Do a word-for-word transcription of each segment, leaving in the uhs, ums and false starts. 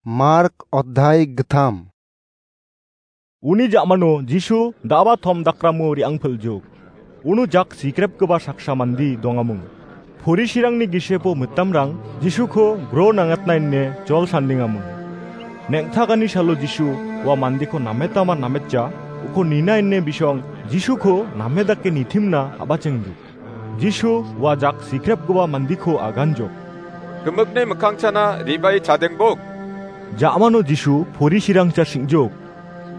Mark Odhai Githam. Uni ja·mano Jisu da·ba tom dakramo re·angpil·jok. Uno jak sikrepgipa saksa mande dongamung. Porisirangni gisepo mitamrang Jisuko gro nangatna ine jol sandingamung. Neng·takani salo Jisu ua mandeko nametama nametja, uko nina ine bisong Jisuko name dake nitimna a·bachengduk. Jisu ua jak sikrepgipa mandeko aganjok. Gimikni mikkangchana re·bae chadengbok. Ja·mano Jisu porisirangcha sing·jok.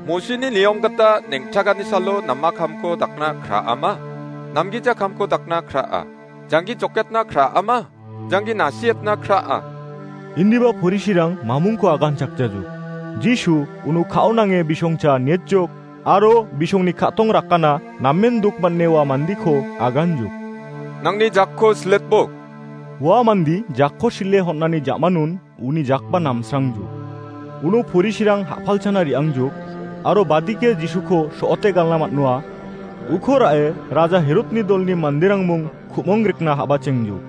Mosini niyom gita neng·takani salo nama kamko dakna kra·ama? Namgija kamko dakna kra·a? Janggi joketna kra·ama? Janggi nasietna kra·a? Indiba porisirang mamungko aganchakjajok. Jisu uno ka·o nange bisongcha nietjok. Aro bisongni ka·tong rakana namen dok man·e ua mandeko aganjok. Nangni jakko siletbok. Ua mande jakko sile hon·ani ja·manon uni jakba namsrangjok. Uno porisirang ha·palchana re·angjok, aro badike Jisuko so·ote galna man·noa. Uko ra·e Raja Herodni dolni manderangmung ku·mong rikna ha·bachengjok.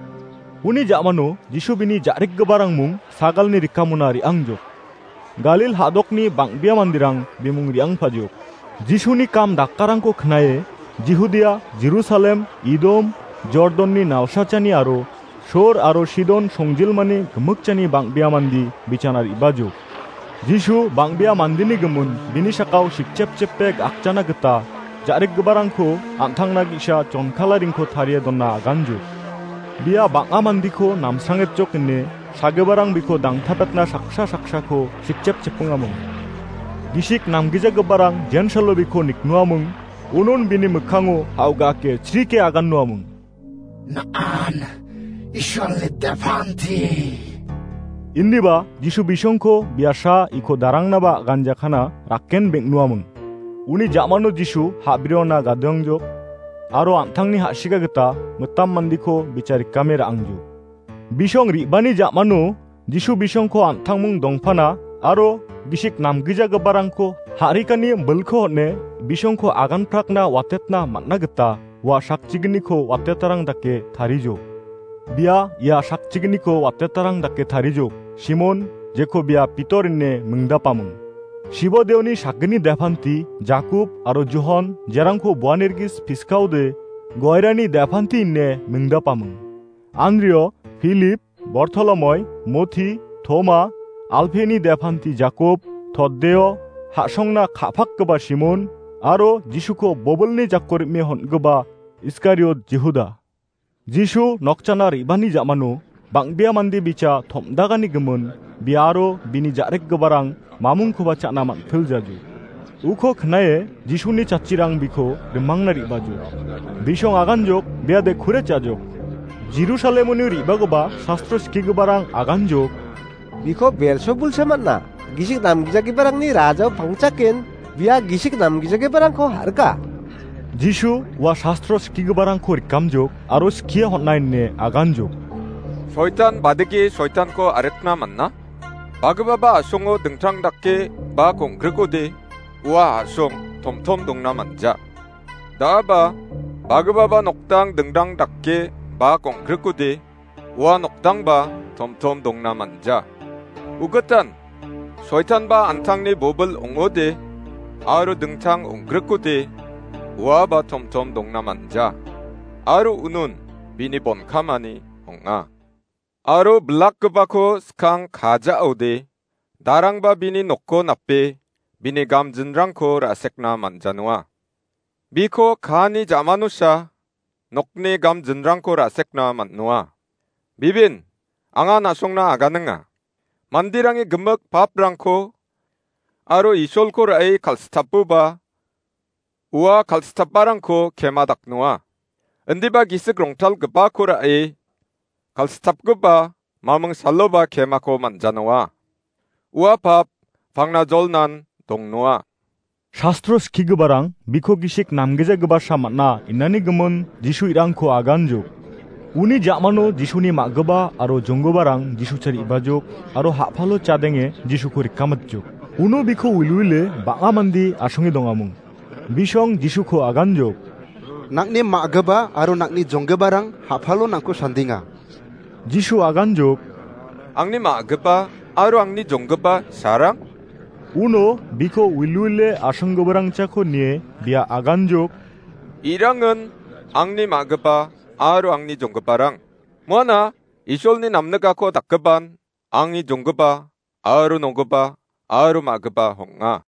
Uni ja·mano Jisu bini ja·rikgiparangmung sagalni rikamona re·angjok. Galil ha·dokni bang·bea manderang bimung re·angpajok. Jisuni kam dakkarangko knae Jihudia, Jerusalem, Idom, Jordonni nalsachani aro Sor aro Sidon songjilmani gimikchani bang·bea mande bichana re·bajok. Jisu bang·bea mandeni gimin bini sakao sikchepchepe gakjana gita ja·rikgiparangko an·tangna ge·sa chonkalaringko tarie dona aganjok. Bia bang·a mandeko namsrangetjok ine sagiparang biko dangtapetna saksa saksako sikchepchepengamung. Gisik namgijagiparang jensalo biko niknoamung, unon bini mikkango ha·o ga·ake chrike agannoamung. Nan Isolni depanti. Indiba Jisu bisongko biasa iko darangnaba ganjakana rakken beng·noamung. Uni ja·mano Jisu ha·briona gadoangjok, aro an·tangni ha·siga gita mitam mandeko bicharikame ra·angjok. Bisong re·bani ja·mano Jisu bisongko an·tangmung dongpana aro gisik namgijagiparangko ha·rikani bilko hon·e bisongko aganprakna watetna man·a gita ua sakchigniko watetarang dake tarijok. Bia ia sakchigniko watetarang dake tarijok. Simon, jeko bia Pitor ine mingdapamung. Sibodeoni sakgni depanti Jakob aro Johon, jerangko Boanergis piskaode Goirani depanti ine mingdapamung. Andrio, Philip, Bortolomoi, Moti, Toma, Alpeni depanti Jakob, Toddeo, ha·songna ka·pakgipa Simon, aro Jisuko bobilni jako rim·e hon·gipa Iskariot Jihuda. Jisu nokchana re·bani ja·mano bang·bea mande bicha tom·dagani gimin, bia aro bini ja·rikgiparang mamungkoba cha·na man·piljajo. Uko knae Jisuni chatchirang biko rimangna re·bajo. Bisong aganjok, biade kure cha·jok. Jerusalemoni re·bagipa sastro skigiparang aganjok. Biko Belzebul sematna, gisik namgijagiparangni rajao pangchaken, bia gisik namgijagiparangko harika. Jisu ua sastro skigiparangko rikamjok, aro skie hon·a ine aganjok. Soitan badike soitanko arikna man·a? Bagipaba a·songo dingtang dake ba kong·grikode, ua a·song tomtom dongna manja. Da·aba, bagipaba noktang dingtang dake ba kong·grikode, ua noktangba tomtom dongna manja. Ugitan, soitanba an·tangni bobil ong·ode, aro dingtang ong·grikode, uaba tomtom dongna manja. Aro unon bini bonkamani ong·a. Aro bilakgipako skang kaja·ode, darangba bini nokko nape, bini gamjinrangko ra·sekna man·janoa. Biko kaani ja·manosa nokni gamjinrangko ra·sekna man·noa. Bibin, anga na·songna aganinga. Manderangi gimik paprangko aro Isolko ra·e kal·sitapoba, ua kal·sitaparangko kema daknoa. Indiba gisik rongtalgipako ra·e kal·sitapgipa maming saloba kemako man·janoa. Ua pap pangna jolnan dongnoa. Sastro skigiparang biko gisik namgijagiparsa man·a inani gimin Jisu irangko aganjok. Uni ja·mano Jisuni ma·gipa aro jonggiparang Jisucha re·bajok aro ha·palo chadenge Jisuko rikamatjok. Uno biko wilwile bang·a mande asonge dongamung. Bisong Jisuko aganjok. Nang·ni ma·gipa aro nang·ni jonggiparang ha·palo nangko sandenga. Jisu aganjok. Angni ma·gipa aro angni jonggipa sarang? Uno biko wilwile asonggiparangchako nie bia aganjok. Irangin angni ma·gipa aro angni jonggiparang. Muana Isolni namnikako dakgipan angni jonggipa aro nogipa aro ma·gipa ong·a.